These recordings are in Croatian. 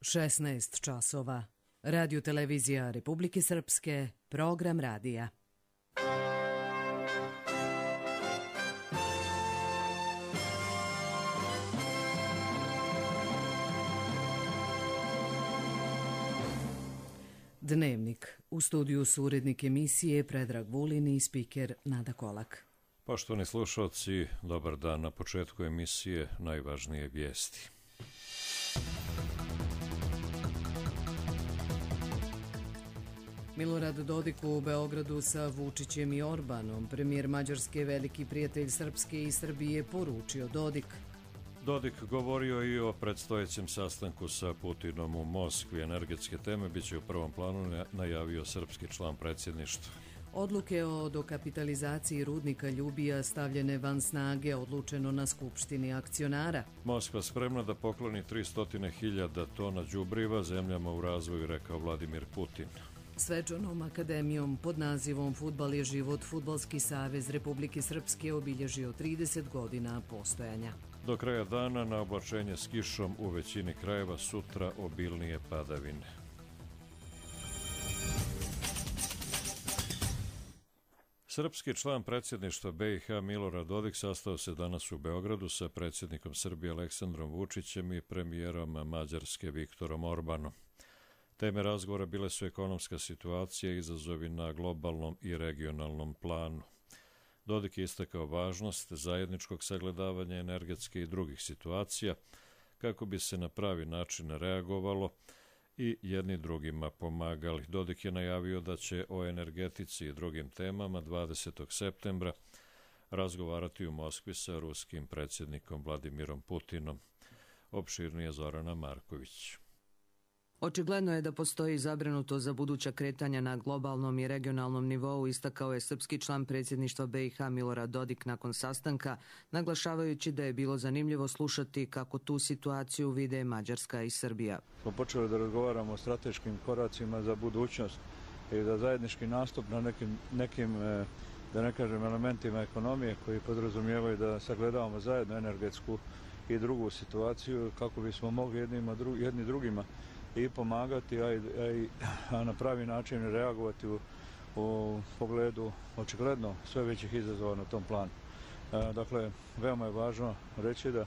16 časova. Radio televizija Republike Srpske, program radija. Dnevnik. U studiju su urednik emisije Predrag Vulin i spiker Nada Kolak. Poštovani slušalci, dobar dan. Na početku emisije najvažnije vijesti. Milorad Dodik u Beogradu sa Vučićem i Orbanom. Premijer Mađarske, veliki prijatelj Srpske i Srbije, poručio Dodik. Dodik govorio i o predstojećem sastanku sa Putinom u Moskvi. Energetske teme biće u prvom planu, najavio srpski član predsjedništva. Odluke o dokapitalizaciji rudnika Ljubija stavljene van snage, odlučeno na skupštini akcionara. Moskva spremna da pokloni 300.000 tona đubriva zemljama u razvoju, rekao Vladimir Putin. Svečanom akademijom pod nazivom Fudbal je život Fudbalski savez Republike Srpske obilježio 30 godina postojanja. Do kraja dana na oblačenje s kišom u većini krajeva, sutra obilnije padavine. Srpski član predsjedništva BiH Milorad Dodik sastao se danas u Beogradu sa predsjednikom Srbije Aleksandrom Vučićem i premijerom Mađarske Viktorom Orbanom. Teme razgovora bile su ekonomska situacija i izazovi na globalnom i regionalnom planu. Dodik je istakao važnost zajedničkog sagledavanja energetske i drugih situacija kako bi se na pravi način reagovalo i jedni drugima pomagali. Dodik je najavio da će o energetici i drugim temama 20. septembra razgovarati u Moskvi sa ruskim predsjednikom Vladimirom Putinom. Opširnije Zorana Marković. Očigledno je da postoji zabrinutost za buduća kretanja na globalnom i regionalnom nivou, istakao je srpski član predsjedništva BiH Milorad Dodik nakon sastanka, naglašavajući da je bilo zanimljivo slušati kako tu situaciju vide Mađarska i Srbija. Smo počeli da razgovaramo o strateškim koracima za budućnost i da zajednički nastup na nekim da ne kažem, elementima ekonomije koji podrazumijevaju da sagledavamo zajedno energetsku i drugu situaciju kako bismo mogli jedni drugima i pomagati, a na pravi način reagovati u pogledu očigledno sve većih izazova na tom planu. Dakle, veoma je važno reći da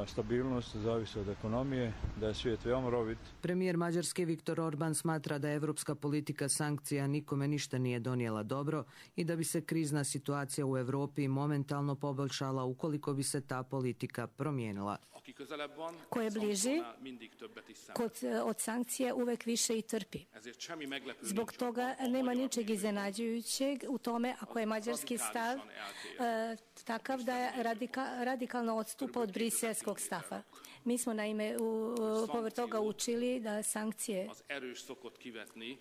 stabilnost zavisi od ekonomije, da je svijet veoma rovit. Premijer Mađarske Viktor Orban smatra da evropska politika sankcija nikome ništa nije donijela dobro i da bi se krizna situacija u Evropi momentalno poboljšala ukoliko bi se ta politika promijenila. Ko je bliži, od sankcije uvek više i trpi. Zbog toga nema ničeg iznenađujućeg u tome ako je mađarski stav takav da je radikalno odstupa od briselskog stava. Mi smo naime povrh toga učili da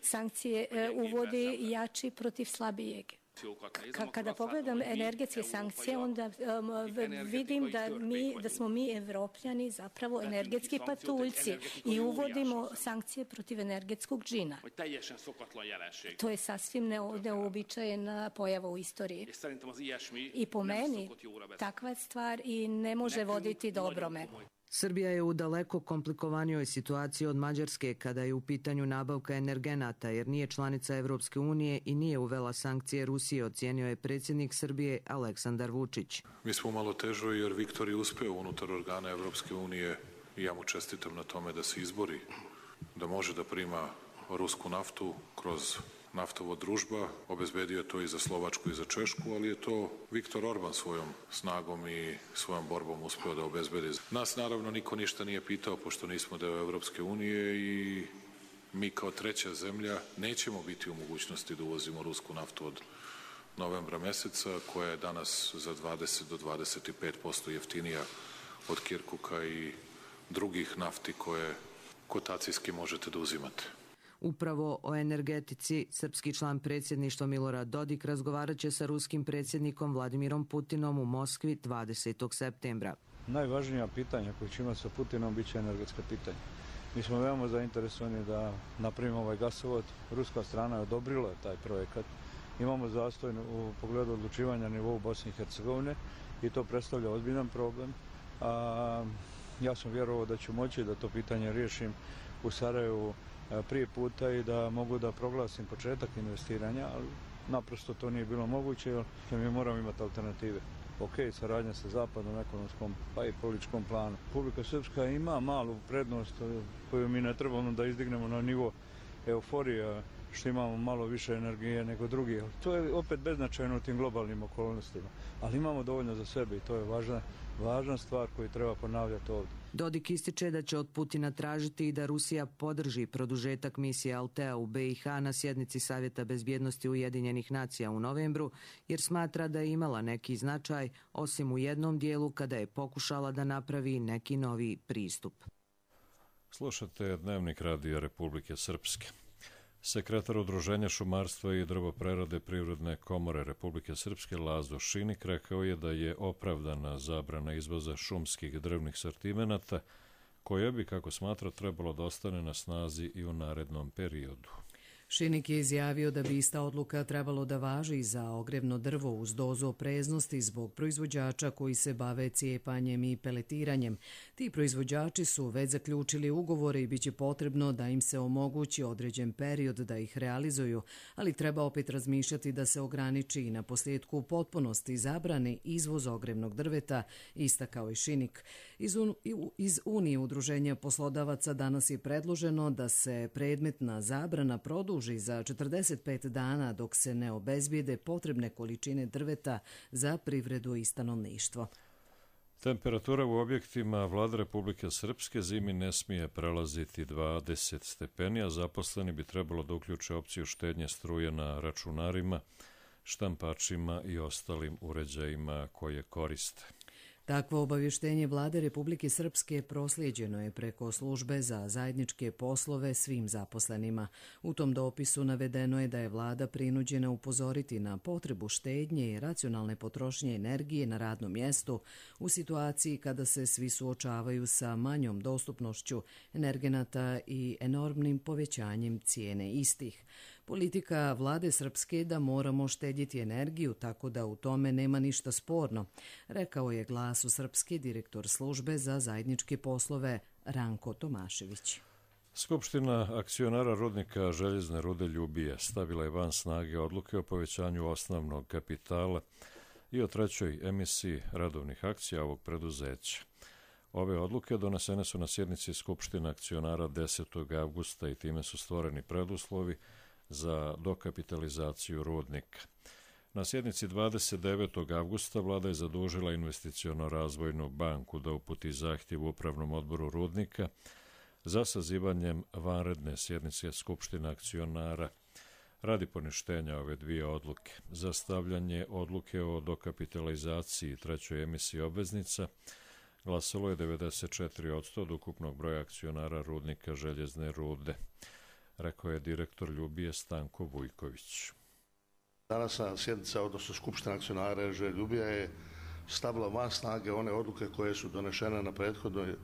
sankcije uvodi jači protiv slabijeg. Kada pogledam energetske sankcije, onda vidim da smo mi Evropljani zapravo energetski patuljci i uvodimo sankcije protiv energetskog džina. To je sasvim neobičajena pojava u istoriji. I po meni takva stvar i ne može voditi dobrome. Srbija je u daleko komplikovanijoj situaciji od Mađarske kada je u pitanju nabavka energenata, jer nije članica Evropske unije i nije uvela sankcije Rusije, ocijenio je predsjednik Srbije Aleksandar Vučić. Mi smo malo težo jer Viktor je uspeo unutar organa Evropske unije i ja mu čestitam na tome da se izbori, da može da prima rusku naftu kroz naftovod Družba, obezbedio to i za Slovačku i za Češku, ali je to Viktor Orban svojom snagom i svojom borbom uspeo da obezbedi. Nas naravno niko ništa nije pitao, pošto nismo deo Evropske unije i mi kao treća zemlja nećemo biti u mogućnosti da uvozimo rusku naftu od novembra meseca, koja je danas za 20 do 25% jeftinija od Kirkuka i drugih nafti koje kotacijski možete da uzimate. Upravo o energetici srpski član predsjedništva Milorad Dodik razgovarat će sa ruskim predsjednikom Vladimirom Putinom u Moskvi 20. septembra. Najvažnija pitanja koje će imati sa Putinom bit će energetska pitanja. Mi smo veoma zainteresovani da napravimo ovaj gasovod. Ruska strana je odobrila taj projekat. Imamo zastoj u pogledu odlučivanja nivou Bosne i Hercegovine i to predstavlja ozbiljan problem. Ja sam vjerovao da ću moći da to pitanje riješim u Sarajevu prije puta i da mogu da proglasim početak investiranja, ali naprosto to nije bilo moguće jer mi moramo imati alternative. Ok, saradnja sa zapadnom ekonomskom pa i političkom planu. Republika Srpska ima malu prednost koju mi ne trebamo da izdignemo na nivo euforije, što imamo malo više energije nego drugi. To je opet beznačajno u tim globalnim okolnostima, ali imamo dovoljno za sebe i to je važna stvar koju treba ponavljati ovdje. Dodik ističe da će od Putina tražiti i da Rusija podrži produžetak misije Altea u BiH na sjednici Savjeta bezbjednosti Ujedinjenih nacija u novembru, jer smatra da je imala neki značaj, osim u jednom dijelu kada je pokušala da napravi neki novi pristup. Slušate Dnevnik Radija Republike Srpske. Sekretar Udruženja šumarstva i drvoprerade Privredne komore Republike Srpske Lazo Šinik rekao je da je opravdana zabrana izvoza šumskih drvnih sortimenata, koja bi, kako smatra, trebalo da ostane na snazi i u narednom periodu. Šinik je izjavio da bi ista odluka trebalo da važi za ogrevno drvo uz dozu opreznosti zbog proizvođača koji se bave cijepanjem i peletiranjem. Ti proizvođači su već zaključili ugovore i bit će potrebno da im se omogući određen period da ih realizuju, ali treba opet razmišljati da se ograniči i na posljedku u potpunosti zabrani izvoz ogrevnog drveta, istakao je Šinik. Iz Unije udruženja poslodavaca danas je predloženo da se predmetna zabrana produži za 45 dana dok se ne obezbijede potrebne količine drveta za privredu i stanovništvo. Temperatura u objektima Vlade Republike Srpske zimi ne smije prelaziti 20 stepeni, a zaposleni bi trebalo da uključe opciju štednje struje na računarima, štampačima i ostalim uređajima koje koriste. Takvo obavještenje Vlade Republike Srpske proslijeđeno je preko službe za zajedničke poslove svim zaposlenima. U tom dopisu navedeno je da je Vlada prinuđena upozoriti na potrebu štednje i racionalne potrošnje energije na radnom mjestu u situaciji kada se svi suočavaju sa manjom dostupnošću energenata i enormnim povećanjem cijene istih. Politika Vlade Srpske da moramo štedjeti energiju, tako da u tome nema ništa sporno, rekao je Glasu Srpske direktor službe za zajedničke poslove Ranko Tomašević. Skupština akcionara rudnika željezne rude Ljubije stavila je van snage odluke o povećanju osnovnog kapitala i o trećoj emisiji radovnih akcija ovog preduzeća. Ove odluke donesene su na sjednici Skupština akcionara 10. avgusta i time su stvoreni preduslovi za dokapitalizaciju rudnika. Na sjednici 29. avgusta Vlada je zadužila Investiciono-razvojnu banku da uputi zahtjev Upravnom odboru rudnika za sazivanjem vanredne sjednice Skupština akcionara radi poništenja ove dvije odluke. Za stavljanje odluke o dokapitalizaciji trećoj emisiji obveznica glasalo je 94% od ukupnog broja akcionara rudnika željezne rude, rekao je direktor Ljubije Stanko Vujković. Današnja sjednica, odnosno Skupština akcionara RŽ Ljubija je stavila van snage one odluke koje su donešene na prethodnoj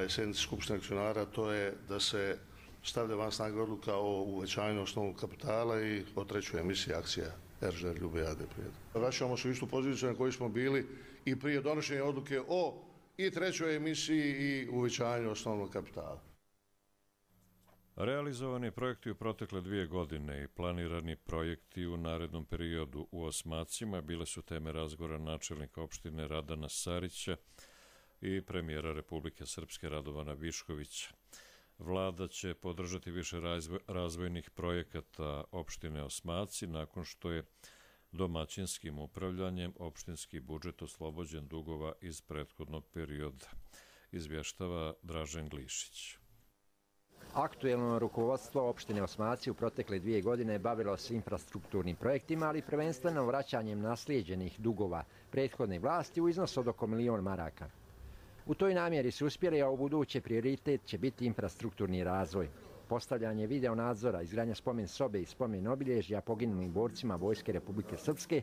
sjednici Skupštine akcionara, to je da se stavlja van snage odluka o uvećanju osnovnog kapitala i o trećoj emisiji akcija RŽ Ljubija AD. Vraćamo se u istu poziciju na kojoj smo bili i prije donošenja odluke o i trećoj emisiji i uvećanju osnovnog kapitala. Realizovani projekti u protekle 2 godine i planirani projekti u narednom periodu u Osmacima bile su teme razgovora načelnika opštine Radana Sarića i premijera Republike Srpske Radovana Viškovića. Vlada će podržati više razvojnih projekata opštine Osmaci nakon što je domaćinskim upravljanjem opštinski budžet oslobođen dugova iz prethodnog perioda, izvještava Dražen Glišić. Aktuelno rukovodstvo opštine Osmaci u protekle 2 godine bavilo se infrastrukturnim projektima, ali prvenstveno vraćanjem naslijeđenih dugova prethodne vlasti u iznosu od oko 1 milion maraka. U toj namjeri su uspjeli, a u buduće prioritet će biti infrastrukturni razvoj. Postavljanje videonadzora, izgradnja spomen sobe i spomen obilježja poginulim borcima Vojske Republike Srpske,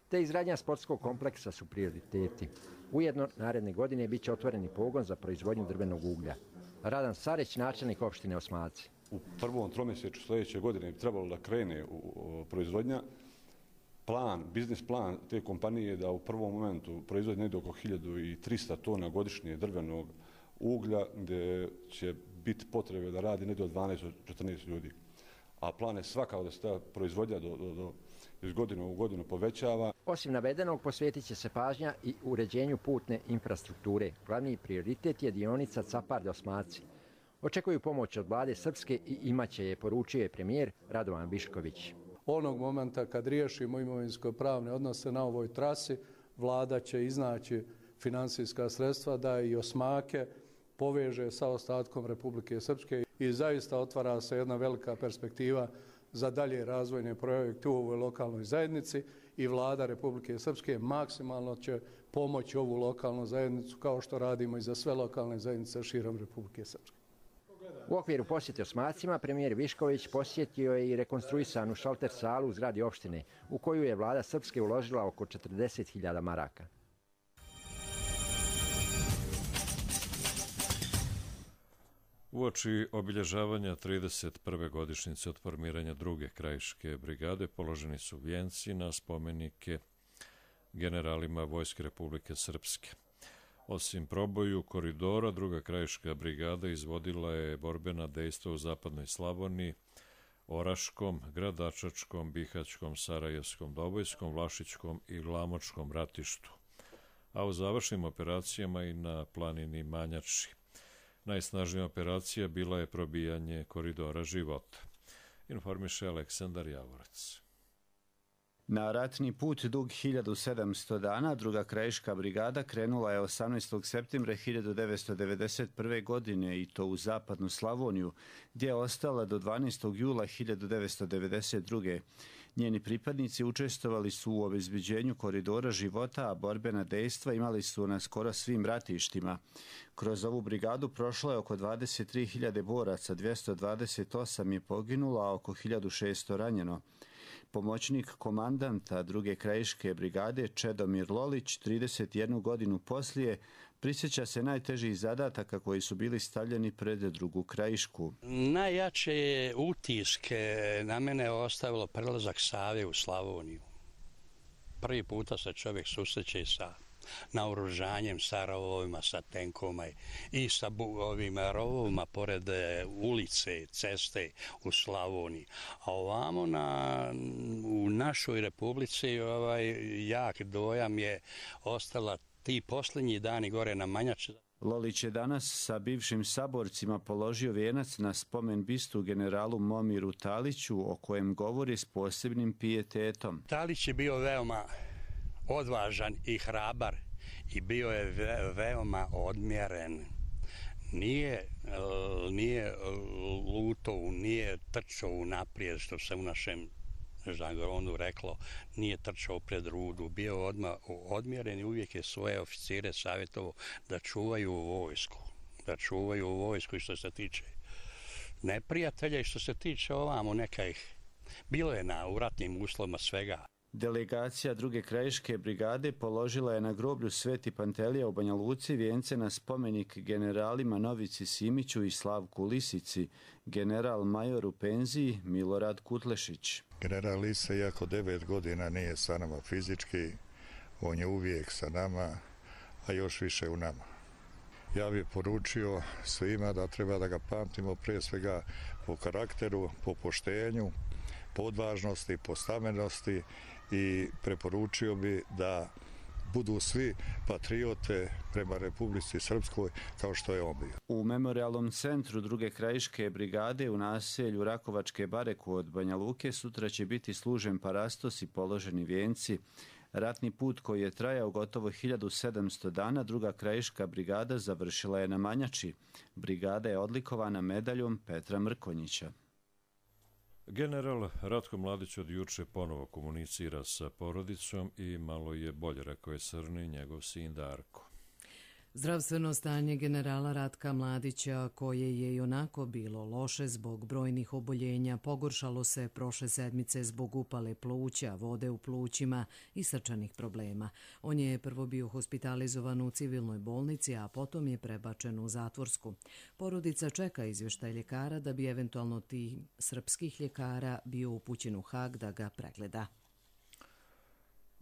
te izgradnja sportskog kompleksa su prioriteti. Ujedno, naredne godine bit će otvoreni pogon za proizvodnju drvenog uglja. Radan Sarić, načelnik opštine Osmaci. U prvom tromjesečju sljedeće godine bi trebalo da krene proizvodnja. biznis plan te kompanije je da u prvom momentu proizvodi negdje oko 1300 tona godišnje drvenog uglja, gdje će biti potrebe da radi negdje od 12 do 14 ljudi. A plan je svakako da se ta proizvodnja iz godine u godinu povećava. Osim navedenog, posvetit će se pažnja i uređenju putne infrastrukture. Glavni prioritet je dionica Capar-Osmaci. Očekuju pomoć od vlade Srpske i imaće je, poručio je premijer Radovan Višković. Onog momenta kad riješimo imovinsko-pravne odnose na ovoj trasi, vlada će iznaći financijska sredstva da i Osmake poveže sa ostatkom Republike Srpske i zaista otvara se jedna velika perspektiva za dalje razvojne projekte u ovoj lokalnoj zajednici i vlada Republike Srpske maksimalno će pomoći ovu lokalnu zajednicu kao što radimo i za sve lokalne zajednice širom Republike Srpske. U okviru posjete Osmacima premijer Višković posjetio je i rekonstruisanu šalter salu u zgradi opštine, u koju je vlada Srpske uložila oko 40.000 maraka. Uoči obilježavanja 31. godišnjice od formiranja druge krajiške brigade položeni su vijenci na spomenike generalima Vojske Republike Srpske. Osim proboju koridora, druga krajiška brigada izvodila je borbena dejstva u zapadnoj Slavoniji, Oraškom, Gradačačkom, Bihaćkom, Sarajevskom, Dobojskom, Vlašićkom i Glamočkom ratištu, a u završnim operacijama i na planini Manjači. Najsnažnija operacija bila je probijanje koridora života. Informiše Aleksandar Javorac. Na ratni put dug 1700 dana druga krajiška brigada krenula je 18. septembra 1991. godine i to u zapadnu Slavoniju, gdje je ostala do 12. jula 1992. Njeni pripadnici učestvovali su u obezbeđenju koridora života, a borbena dejstva imali su na skoro svim ratištima. Kroz ovu brigadu prošlo je oko 23.000 boraca, 228 je poginulo, a oko 1.600 ranjeno. Pomoćnik komandanta druge krajiške brigade Čedomir Lolić 31 godinu poslije prisjeća se najtežih zadataka koji su bili stavljeni pred drugu krajišku. Najjače utiske na mene je ostavilo prelazak Save u Slavoniju. Prvi puta se čovjek susreće sa naoružanjem, sa rovovima, sa tenkovima i sa ovim rovovima pored ulice, ceste u Slavoniji. A ovamo u našoj republici jak dojam je ostala ti posljednji dani gore na Manjači. Lolić je danas sa bivšim saborcima položio vijenac na spomen bistu generalu Momiru Taliću, o kojem govori s posebnim pijetetom. Talić je bio veoma odvažan i hrabar i bio je veoma odmjeren. Nije lutao, nije trčao naprijed, što se u našem žargonu reklo, nije trčao pred rudu, bio odmah odmjeren i uvijek je svoje oficire savjetovao da čuvaju vojsku. Da čuvaju vojsku i što se tiče neprijatelja i što se tiče ovamo nekih. Bilo je u ratnim uslovima svega. Delegacija druge krajiške brigade položila je na groblju Sveti Pantelija u Banja Luci vijence na spomenik generalima Novici Simiću i Slavku Lisici, general major u penziji Milorad Kutlešić. General Lisa, iako 9 godina nije sa nama fizički, on je uvijek sa nama, a još više u nama. Ja bih poručio svima da treba da ga pamtimo prije svega po karakteru, po poštenju, po odvažnosti, po stamenosti i preporučio bi da budu svi patriote prema Republici Srpskoj kao što je on bio. U memorialnom centru druge krajiške brigade u naselju Rakovačke bare kod Banja Luke sutra će biti služen parastos i položeni vijenci. Ratni put koji je trajao gotovo 1700 dana druga krajiška brigada završila je na Manjači. Brigada je odlikovana medaljom Petra Mrkonjića. General Ratko Mladić od juče ponovo komunicira sa porodicom i malo je bolje, rekao je Srni, njegov sin Darko. Zdravstveno stanje generala Ratka Mladića, koje je i onako bilo loše zbog brojnih oboljenja, pogoršalo se prošle sedmice zbog upale pluća, vode u plućima i srčanih problema. On je prvo bio hospitalizovan u civilnoj bolnici, a potom je prebačen u zatvorsku. Porodica čeka izvještaj ljekara da bi eventualno tim srpskih ljekara bio upućen u Hag da ga pregleda.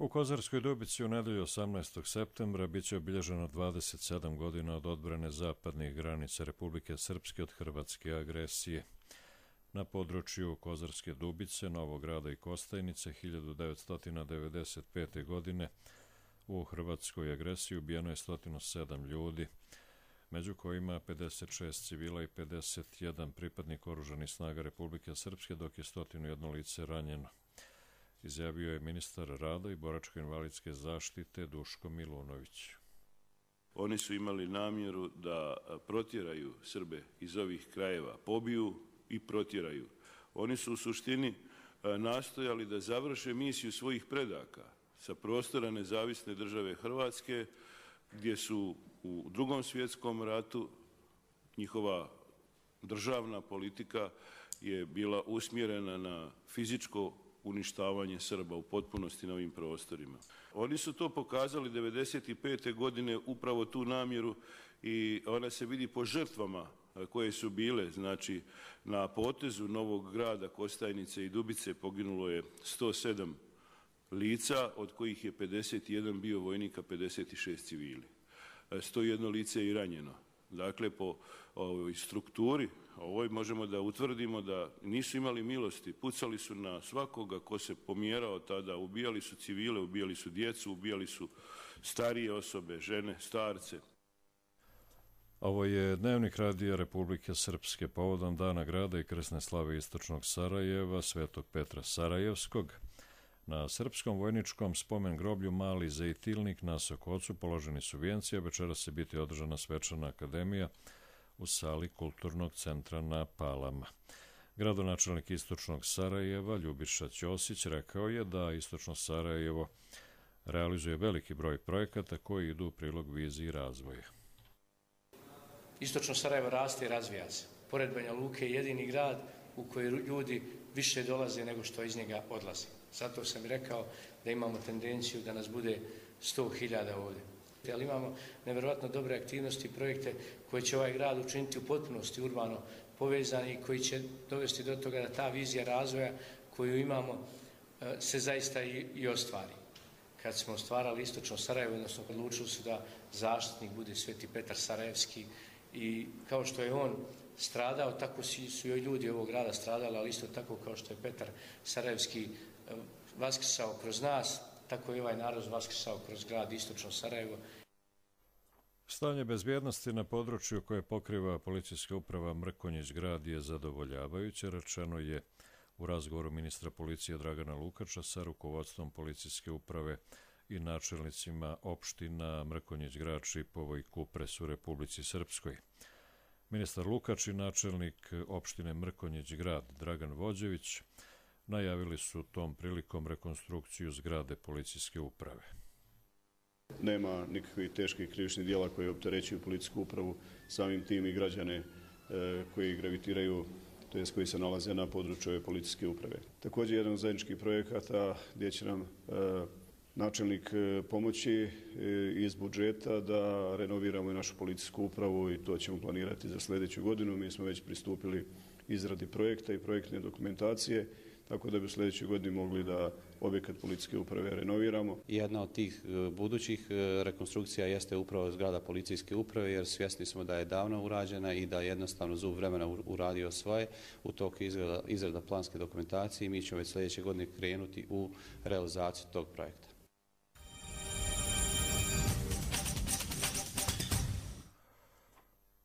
U Kozarskoj Dubici u nedelju 18. septembra biće obilježeno 27 godina od odbrane zapadnih granica Republike Srpske od hrvatske agresije. Na području Kozarske Dubice, Novog Grada i Kostajnice 1995. godine u hrvatskoj agresiji ubijeno je 107 ljudi, među kojima 56 civila i 51 pripadnik oružanih snaga Republike Srpske, dok je 101 lice ranjeno, izjavio je ministar rada i boračko-invalidske zaštite Duško Milunović. Oni su imali namjeru da protjeraju Srbe iz ovih krajeva, pobiju i protjeraju. Oni su u suštini nastojali da završe misiju svojih predaka sa prostora nezavisne države Hrvatske, gdje su u Drugom svjetskom ratu njihova državna politika je bila usmjerena na fizičko uništavanje Srba u potpunosti na ovim prostorima. Oni su to pokazali 1995. godine, upravo tu namjeru, i ona se vidi po žrtvama koje su bile. Znači, na potezu Novog Grada, Kostajnice i Dubice poginulo je 107 lica, od kojih je 51 bio vojnika, 56 civili. 101 lice je i ranjeno. Dakle, po ovoj strukturi, ovoj možemo da utvrdimo da nisu imali milosti, pucali su na svakoga ko se pomjerao tada, ubijali su civile, ubijali su djecu, ubijali su starije osobe, žene, starce. Ovo je Dnevnik Radija Republike Srpske povodom Dana grada i krsne slave istočnog Sarajeva, Svetog Petra Sarajevskog. Na srpskom vojničkom spomen groblju Mali Zejtilnik na Sokocu položeni su vijenci, a večeras će biti održana svečana akademija u sali Kulturnog centra na Palama. Gradonačelnik istočnog Sarajeva Ljubiša Ćosić rekao je da istočno Sarajevo realizuje veliki broj projekata koji idu u prilog viziji razvoja. Istočno Sarajevo raste i razvija se. Pored Banja Luke je jedini grad u koji ljudi više dolaze nego što iz njega odlaze. Zato sam rekao da imamo tendenciju da nas bude 100.000 ovdje. Ali imamo nevjerojatno dobre aktivnosti i projekte koje će ovaj grad učiniti u potpunosti urbano povezani i koji će dovesti do toga da ta vizija razvoja koju imamo se zaista i ostvari. Kad smo stvarali istočno Sarajevo, odnosno odlučili su da zaštitnik bude Sveti Petar Sarajevski, i kao što je on stradao, tako su i ljudi ovog grada stradali, ali isto tako kao što je Petar Sarajevski vaskrsao kroz nas, tako je ovaj narod vaskrsao kroz grad istočno Sarajevo. Stanje bezbjednosti na području koje pokriva policijska uprava Mrkonjić grad je zadovoljavajuće, rečeno je u razgovoru ministra policije Dragana Lukača sa rukovodstvom policijske uprave i načelnicima opština Mrkonjić grad, Šipovo i Kupres u Republici Srpskoj. Ministar Lukač i načelnik opštine Mrkonjić grad Dragan Vođević najavili su tom prilikom rekonstrukciju zgrade policijske uprave. Nema nikakvih teških krivičnih dijela koje opterećuju policijsku upravu, samim tim i građane koji gravitiraju, to jest koji se nalaze na području ove policijske uprave. Također jedan od zajedničkih projekata gdje će nam načelnik pomoći iz budžeta da renoviramo i našu policijsku upravu, i to ćemo planirati za sljedeću godinu. Mi smo već pristupili izradi projekta i projektne dokumentacije, tako da bi u sljedećoj godini mogli da objekat policijske uprave renoviramo. Jedna od tih budućih rekonstrukcija jeste upravo zgrada policijske uprave, jer svjesni smo da je davno urađena i da jednostavno zub vremena uradio svoje. U toku izrada planske dokumentacije i mi ćemo već sljedeće godine krenuti u realizaciju tog projekta.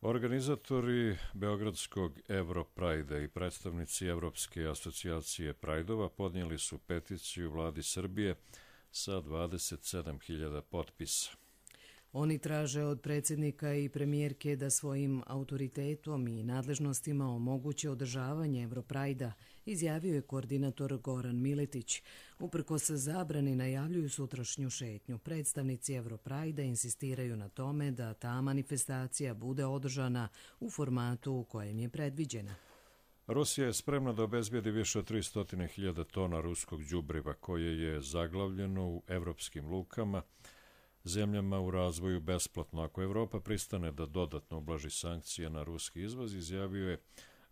Organizatori Beogradskog Europrajda i predstavnici Evropske asocijacije Prajdova podnijeli su peticiju vladi Srbije sa 27.000 potpisa. Oni traže od predsjednika i premijerke da svojim autoritetom i nadležnostima omoguće održavanje Europrajda, izjavio je koordinator Goran Miletić. Uprkos zabrani najavljuju sutrašnju šetnju. Predstavnici Europrajda insistiraju na tome da ta manifestacija bude održana u formatu u kojem je predviđena. Rusija je spremna da obezbijedi više od 300.000 tona ruskog đubriva koje je zaglavljeno u evropskim lukama, zemljama u razvoju besplatno. Ako Evropa pristane da dodatno ublaži sankcije na ruski izvoz, izjavio je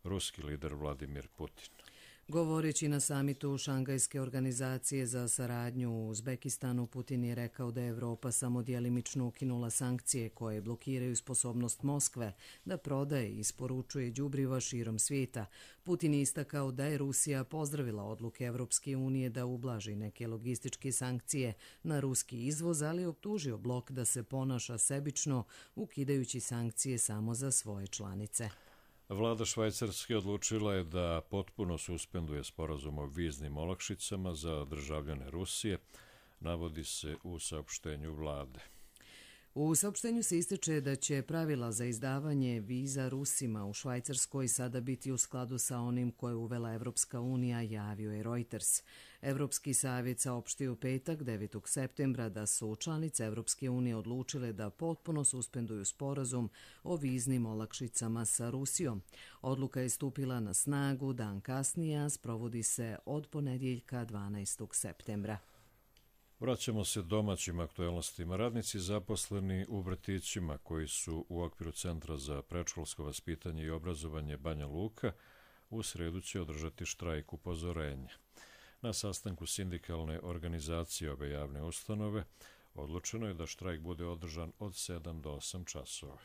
ruski lider Vladimir Putin. Govoreći na samitu Šangajske organizacije za saradnju u Uzbekistanu, Putin je rekao da je Evropa samo djelimično ukinula sankcije koje blokiraju sposobnost Moskve da prodaje i isporučuje đubriva širom svijeta. Putin je istakao da je Rusija pozdravila odluke Evropske unije da ublaži neke logističke sankcije na ruski izvoz, ali optužio blok da se ponaša sebično, ukidajući sankcije samo za svoje članice. Vlada Švajcarske odlučila je da potpuno suspenduje sporazum o viznim olakšicama za državljane Rusije, navodi se u saopštenju vlade. U saopštenju se ističe da će pravila za izdavanje viza Rusima u Švajcarskoj sada biti u skladu sa onim koje je uvela Evropska unija, javio je Reuters. Evropski savjet saopštio u petak 9. septembra da su članice Evropske unije odlučile da potpuno suspenduju sporazum o viznim olakšicama sa Rusijom. Odluka je stupila na snagu dan kasnije, a sprovodi se od ponedjeljka 12. septembra. Vraćamo se domaćim aktuelnostima. Radnici zaposleni u vrtićima koji su u okviru Centra za predškolsko vaspitanje i obrazovanje Banja Luka u sredu će održati štrajk upozorenja. Na sastanku sindikalne organizacije ove javne ustanove odlučeno je da štrajk bude održan od 7 do 8 časova.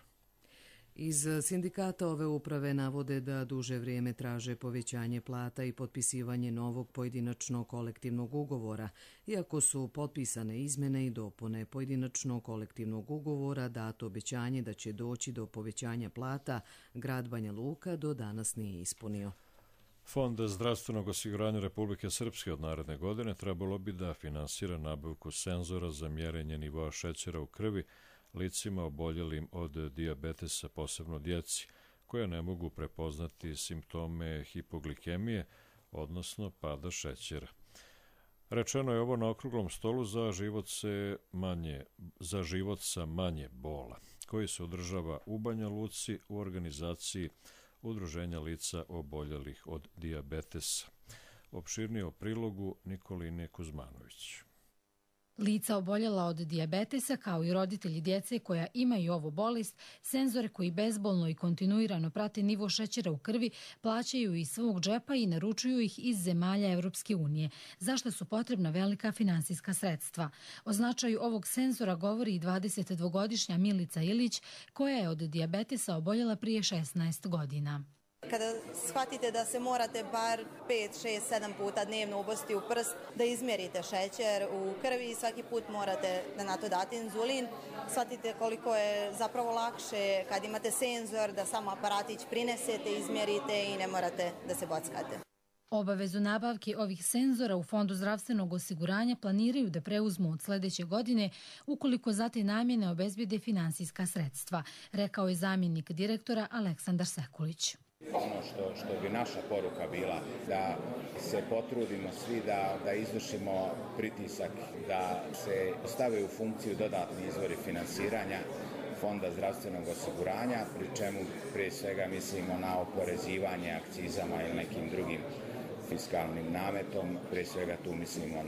Iz sindikata ove uprave navode da duže vrijeme traže povećanje plata i potpisivanje novog pojedinačnog kolektivnog ugovora. Iako su potpisane izmjene i dopune pojedinačnog kolektivnog ugovora, dato obećanje da će doći do povećanja plata, grad Banja Luka do danas nije ispunio. Fond zdravstvenog osiguranja Republike Srpske od naredne godine trebalo bi da finansira nabavku senzora za mjerenje nivoa šećera u krvi licima oboljelim od dijabetesa, posebno djeci, koja ne mogu prepoznati simptome hipoglikemije, odnosno pada šećera. Rečeno je ovo na okruglom stolu za život sa manje bola, koji se održava u Banja Luci u organizaciji Udruženja lica oboljelih od dijabetesa. Opširnije o prilogu Nikoline Kuzmanović. Lica oboljela od dijabetesa, kao i roditelji djece koja imaju ovu bolest, senzore koji bezbolno i kontinuirano prate nivo šećera u krvi plaćaju iz svog džepa i naručuju ih iz zemalja Evropske unije, za što su potrebna velika finansijska sredstva. O značaju ovog senzora govori i 22-godišnja Milica Ilić, koja je od dijabetesa oboljela prije 16 godina. Kada shvatite da se morate bar 5, 6, 7 puta dnevno ubositi u prst da izmjerite šećer u krvi i svaki put morate da na to date inzulin, shvatite koliko je zapravo lakše kad imate senzor da samo aparatić prinesete, izmjerite i ne morate da se bockate. Obavezu nabavke ovih senzora u Fondu zdravstvenog osiguranja planiraju da preuzmu od sljedeće godine ukoliko za te namjene obezbijede finansijska sredstva, rekao je zamjenik direktora Aleksandar Sekulić. Ono što bi naša poruka bila da se potrudimo svi da izvršimo pritisak, da se stave u funkciju dodatni izvori finansiranja Fonda zdravstvenog osiguranja, pri čemu prije svega mislimo na oporezivanje akcizama ili nekim drugim fiskalnim nametom, prije svega tu mislimo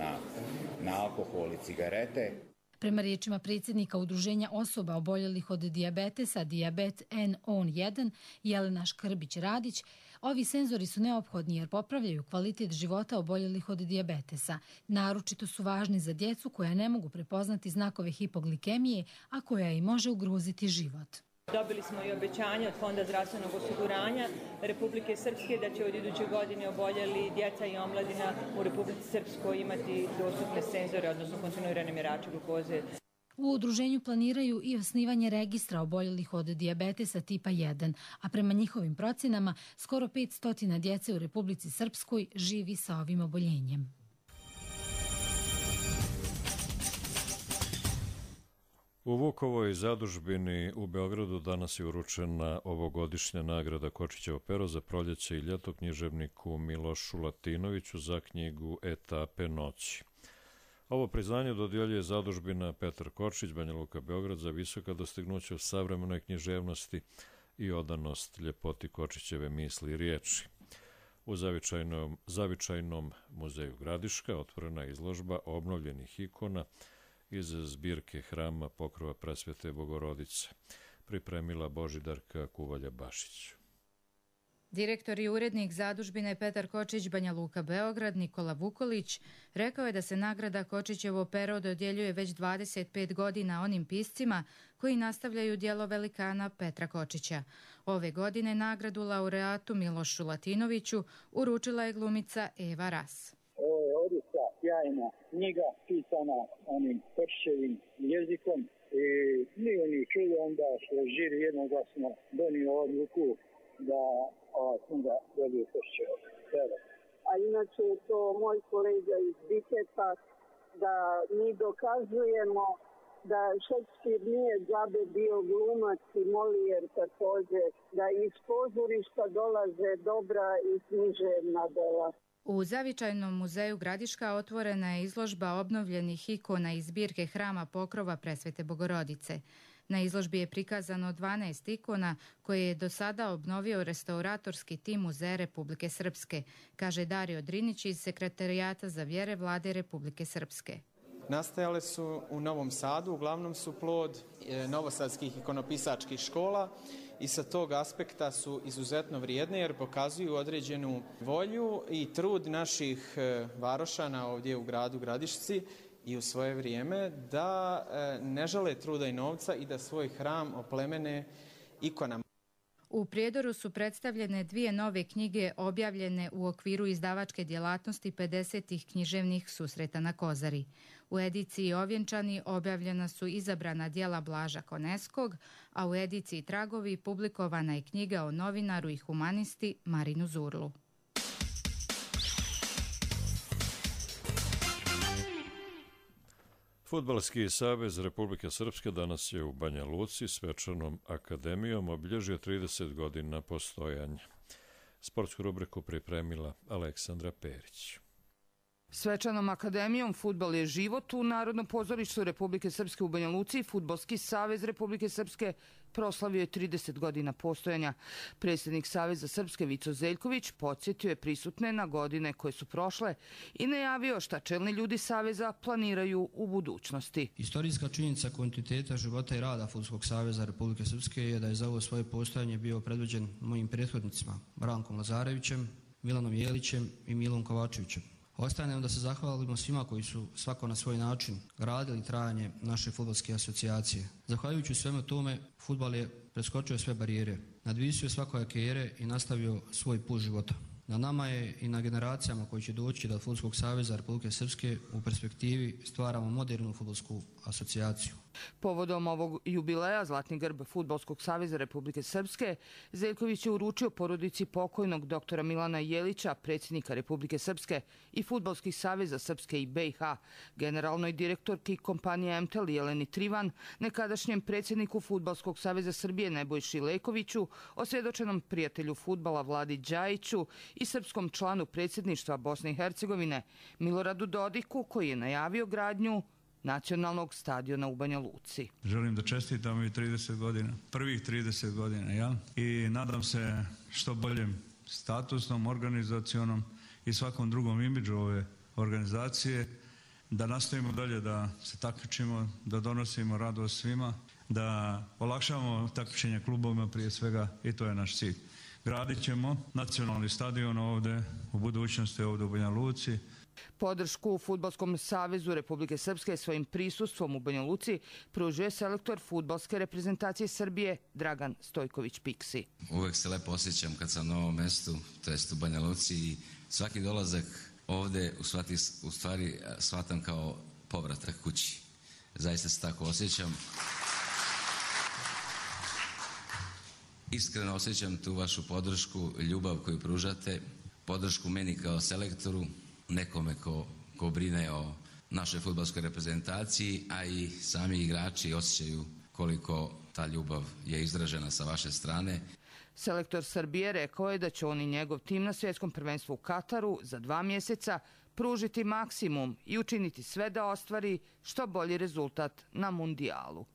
na alkohol i cigarete. Prema riječima predsjednika Udruženja osoba oboljelih od dijabetesa Dijabet N-On-1 Jelena Škrbić-Radić, ovi senzori su neophodni jer popravljaju kvalitet života oboljelih od dijabetesa. Naročito su važni za djecu koja ne mogu prepoznati znakove hipoglikemije, a koja i može ugroziti život. Dobili smo i obećanje od Fonda zdravstvenog osiguranja Republike Srpske da će od iduće godine oboljeli djeca i omladina u Republici Srpskoj imati dostupne senzore, odnosno kontinuirane mjerače glukoze. U udruženju planiraju i osnivanje registra oboljelih od dijabetesa tipa 1, a prema njihovim procjenama skoro 500 djece u Republici Srpskoj živi sa ovim oboljenjem. U Vukovoj zadužbini u Beogradu danas je uručena ovogodišnja nagrada Kočićevo pero za proljeće i ljeto književniku Milošu Latinoviću za knjigu Etape noći. Ovo priznanje dodjeljuje zadužbina Petar Kočić, Banja Luka, Beograd, za visoka dostignuća u savremenoj književnosti i odanost ljepoti Kočićeve misli i riječi. U zavičajnom muzeju Gradiška otvorena je izložba obnovljenih ikona iz zbirke Hrama Pokrova Presvete Bogorodice, pripremila Božidarka Kuvalja-Bašić. Direktor i urednik zadužbine Petar Kočić Banja Luka Beograd Nikola Vukolić rekao je da se nagrada Kočićevo pero dodjeljuje već 25 godina onim piscima koji nastavljaju djelo velikana Petra Kočića. Ove godine nagradu laureatu Milošu Latinoviću uručila je glumica Eva Ras. Ovo je odlična, sjajna knjiga pisana onim Kočićevim jezikom i nije ni čudo onda što je žiri jednoglasno donio odluku da ova knjiga dobije Kočićevo pero. A inače je to moj kolega iz Biketa da mi dokazujemo da Šekspir nije džabe bio glumac i Molijer također, da iz pozorišta dolaze dobra i književna dela. U Zavičajnom muzeju Gradiška otvorena je izložba obnovljenih ikona iz zbirke Hrama Pokrova Presvete Bogorodice. Na izložbi je prikazano 12 ikona koje je do sada obnovio restauratorski tim Muzeja Republike Srpske, kaže Dario Drinić iz Sekretarijata za vjere Vlade Republike Srpske. Nastajale su u Novom Sadu, uglavnom su plod novosadskih ikonopisačkih škola i sa tog aspekta su izuzetno vrijedne jer pokazuju određenu volju i trud naših varošana ovdje u gradu Gradišci i u svoje vrijeme da ne žale truda i novca i da svoj hram oplemene ikonama. U Prijedoru su predstavljene 2 nove knjige objavljene u okviru izdavačke djelatnosti 50. književnih susreta na Kozari. U ediciji Ovjenčani objavljena su izabrana djela Blaža Koneskog, a u ediciji Tragovi publikovana je knjiga o novinaru i humanisti Marinu Zurlu. Fudbalski savez Republike Srpske danas je u Banja Luci svečanom akademijom obilježio 30 godina postojanja. Sportsku rubriku pripremila Aleksandra Perić. Svečanom akademijom Fudbal je život u Narodnom pozorištu Republike Srpske u Banja Luci. Fudbalski savez Republike Srpske proslavio je 30 godina postojanja. Predsjednik Saveza Srpske Vico Zeljković podsjetio je prisutne na godine koje su prošle i najavio šta čelni ljudi Saveza planiraju u budućnosti. Istorijska činjenica kontinuiteta života i rada Fudbalskog saveza Republike Srpske je da je za ovo svoje postojanje bio predvođen mojim prethodnicima Brankom Lazarevićem, Milanom Jelićem i Milom Kovačevićem. Ostaje nam da se zahvalimo svima koji su svako na svoj način gradili trajanje naše fudbalske asocijacije. Zahvaljujući svemu tome, fudbal je preskočio sve barijere, nadvisio svakojake ere i nastavio svoj put života. Na nama je i na generacijama koji će doći da od Fudbalskog saveza Republike Srpske u perspektivi stvaramo modernu fudbalsku asocijaciju. Povodom ovog jubileja Zlatni grb Fudbalskog saveza Republike Srpske Zeljković je uručio porodici pokojnog doktora Milana Jelića, predsjednika Republike Srpske i Fudbalskih saveza Srpske i BiH, generalnoj direktorki kompanije MTEL Jeleni Trivan, nekadašnjem predsjedniku Fudbalskog saveza Srbije Nebojši Lekoviću, osvjedočenom prijatelju fudbala Vladi Đajiću i srpskom članu predsjedništva Bosne i Hercegovine Miloradu Dodiku, koji je najavio gradnju nacionalnog stadiona u Banja Luci. Želim da čestitam i 30 godina, prvih 30 godina, ja? I nadam se što boljem statusnom, organizacionom i svakom drugom imidžu ove organizacije, da nastavimo dalje da se takmičimo, da donosimo radost svima, da olakšamo takmičenje klubovima prije svega i to je naš cilj. Gradit ćemo nacionalni stadion ovdje u budućnosti ovdje u Banja Luci. Podršku Fudbalskom savezu Republike Srpske svojim prisustvom u Banja Luci pružuje selektor fudbalske reprezentacije Srbije Dragan Stojković-Piksi. Uvek se lepo osjećam kad sam na ovom mestu, to jest u Banja Luci, i svaki dolazak ovdje u stvari shvatam kao povratak kući. Zaista se tako osjećam. Iskreno osjećam tu vašu podršku, ljubav koju pružate, podršku meni kao selektoru, nekome ko brine o našoj fudbalskoj reprezentaciji, a i sami igrači osjećaju koliko ta ljubav je izražena sa vaše strane. Selektor Srbije rekao je da će on i njegov tim na svjetskom prvenstvu u Kataru za 2 mjeseca pružiti maksimum i učiniti sve da ostvari što bolji rezultat na mundijalu.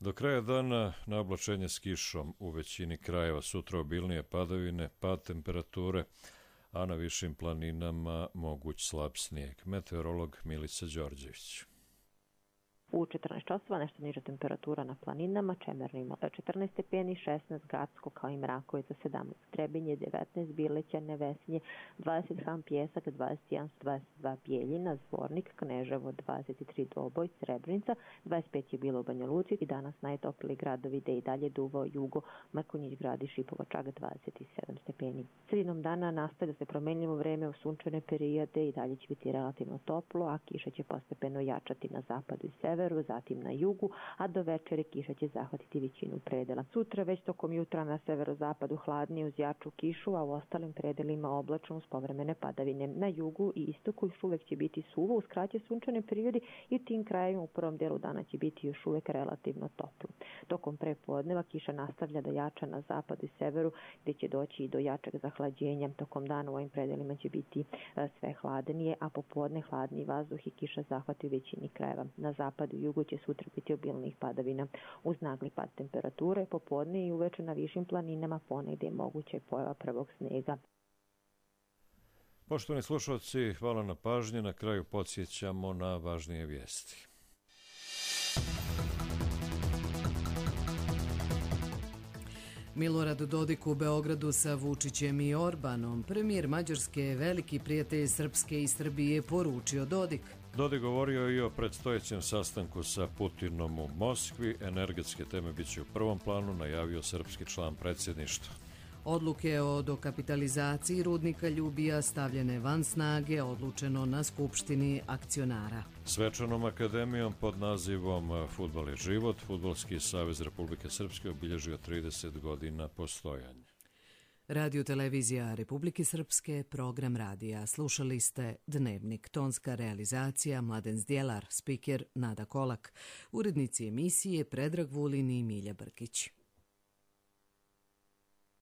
Do kraja dana na oblačenje s kišom u većini krajeva, sutra obilnije padavine, pad temperature, a na višim planinama moguć slab snijeg. Meteorolog Milica Đorđević. U 14 časova nešto niža temperatura na planinama, Čemerni 14 stepeni, 16 Gacko kao i Mrakovica 17, Trebinje 19, Bileća, Nevesinje 20, Ham Pjesak 21, 22 Bijeljina, Zvornik, Kneževo 23, Doboj, Srebrenica 25 je bilo u Banja Luci i danas najtopliji gradovi gde i dalje duvao jugo, Mrkonjić grad i Šipovačak 27 stepeni. Sredinom dana nastavlja se promenljivo vreme u sunčane perijode i dalje će biti relativno toplo, a kiša će postepeno jačati na zapadu i severu, zatim na jugu, a do večere kiša će zahvatiti većinu predela. Sutra već tokom jutra na severozapadu hladnije uz jaču kišu, a u ostalim predelima oblačno uz povremene padavine. Na jugu i istoku još uvek će biti suvo uz kraće sunčane periodi i u tim krajevima u prvom delu dana će biti još uvek relativno toplo. Tokom prepodneva kiša nastavlja da jača na zapadu i severu, gde će doći i do jačeg zahlađenja. Tokom dana u ovim predelima će biti sve hladnije, a popodne hladniji vazduh i kiša zahvati u većini krajeva. Na zapadu i jugu će sutra biti obilnih padavina. Uz nagli pad temperature, popodne i uveče na višim planinama ponegde je moguća pojava prvog snega. Poštovani slušalci, hvala na pažnji. Na kraju podsjećamo na važnije vijesti. Milorad Dodik u Beogradu sa Vučićem i Orbanom. Premijer Mađarske, veliki prijatelj Srpske i Srbije, poručio Dodik. Dodik govorio i o predstojećem sastanku sa Putinom u Moskvi. Energetske teme biće u prvom planu, najavio srpski član predsjedništva. Odluke o dokapitalizaciji rudnika Ljubija stavljene van snage, odlučeno na Skupštini akcionara. Svečanom akademijom pod nazivom Fudbal je život, Fudbalski savez Republike Srpske obilježio 30 godina postojanja. Radio televizija Republike Srpske, program radija. Slušali ste Dnevnik, tonska realizacija Mladen Zdjelar, spiker Nada Kolak, urednici emisije Predrag Vulin i Milja Brkić.